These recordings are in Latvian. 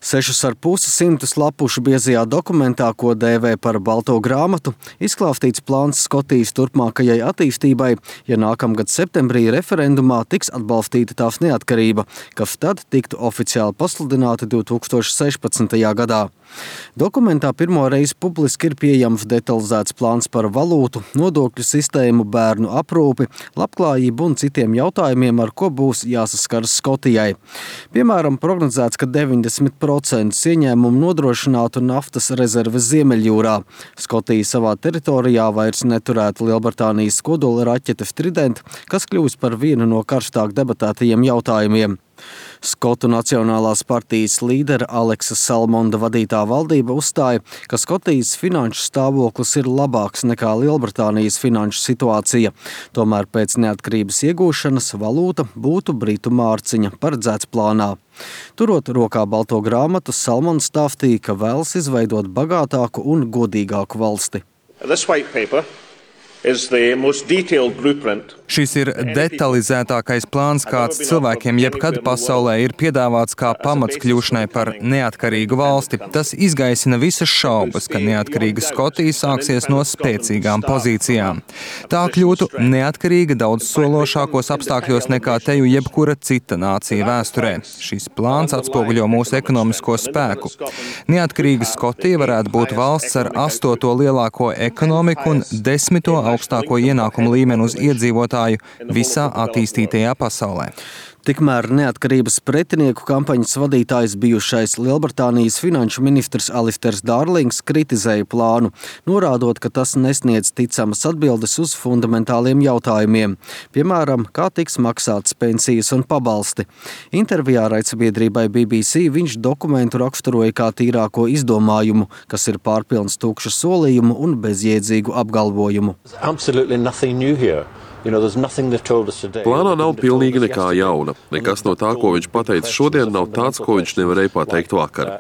6,5 lapušu biezajā dokumentā, ko dēvē par balto grāmatu, izklāstīts plāns Skotijas turpmākajai attīstībai, ja nākamgad septembrī referendumā tiks atbalstīta tās neatkarība, kas tad tiktu oficiāli pasludināta 2016. gadā. Dokumentā pirmo reizi publiski ir pieejams detalizēts plāns par valūtu, nodokļu sistēmu, bērnu aprūpi, labklājību un citiem jautājumiem, ar ko būs jāsaskaras Skotijai. Piemēram, prognozēts, ka 90% ieņēmumu nodrošinātu naftas rezerves Ziemeļjūrā. Skotija savā teritorijā vairs neturētu Lielbritānijas kodola raķetes Trident, kas kļūs par vienu no karstāk debatētajiem jautājumiem. Skotu Nacionālās partijas līdera Aleksa Salmonda vadītā valdība uzstāja, ka Skotijas finanšu stāvoklis ir labāks nekā Lielbritānijas finanšu situācija. Tomēr pēc neatkarības iegūšanas valūta būtu britu mārciņa, paredzēts plānā. Turot rokā balto grāmatu, Salmonds stāstīja, ka vēlas izveidot bagātāku un godīgāku valsti. Šis ir detalizētākais plāns, kāds cilvēkiem jebkad pasaulē ir piedāvāts kā pamats kļūšanai par neatkarīgu valsti. Tas izgaisina visas šaubas, ka neatkarīga Skotija sāksies no spēcīgām pozīcijām. Tā kļūtu neatkarīga daudz sološākos apstākļos nekā teju jebkura cita nācija vēsturē. Šis plāns atspoguļo mūsu ekonomisko spēku. Neatkarīga Skotija varētu būt valsts ar 8. lielāko ekonomiku un 10. augstāko ienākumu līmeni uz iedzīvotāju visā attīstītajā pasaulē. Tikmēr neatkarības pretinieku kampaņas vadītājs bijušais Lielbritānijas finanšu ministrs Alisters Dārlings kritizēja plānu, norādot, ka tas nesniedz ticamas atbildes uz fundamentāliem jautājumiem, piemēram, kā tiks maksātas pensijas un pabalsti. Intervijā raidsabiedrībai BBC viņš dokumentu raksturoja kā tīrāko izdomājumu, kas ir pārpilns tukšu solījumu un bezjēdzīgu apgalvojumu. Plānā nav pilnīgi nekā jauna. Nekas no tā, ko viņš pateica šodien, nav tāds, ko viņš nevarēja pateikt vakar.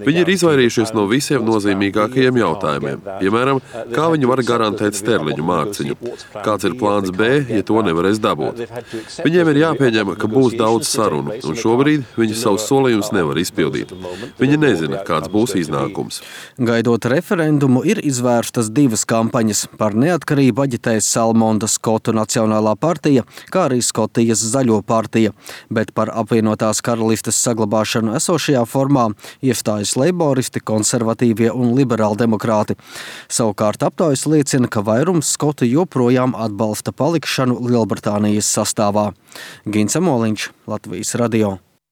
Viņi ir izvairījušies no visiem nozīmīgākajiem jautājumiem. Piemēram, kā viņi var garantēt sterliņu mārciņu? Kāds ir plāns B, ja to nevarēs dabūt? Viņiem ir jāpieņem, ka būs daudz sarunu, un šobrīd viņi savus solījumus nevar izpildīt. Viņi nezina, kāds būs iznākums. Gaidot referendumu, ir izvērstas divas kampaņas. Par neatkarību aģitēs Salmonda Skotu Nacionālā partija, kā arī Skotijas Zaļo partija, bet par apvienotās karalistes saglabāšanu esošajā formā iestājas leiboristi, konservatīvie un liberāldemokrāti. Savukārt aptaujas liecina, ka vairums skotu joprojām atbalsta palikšanu Lielbritānijas sastāvā. Gins Amoliņš, Latvijas radio.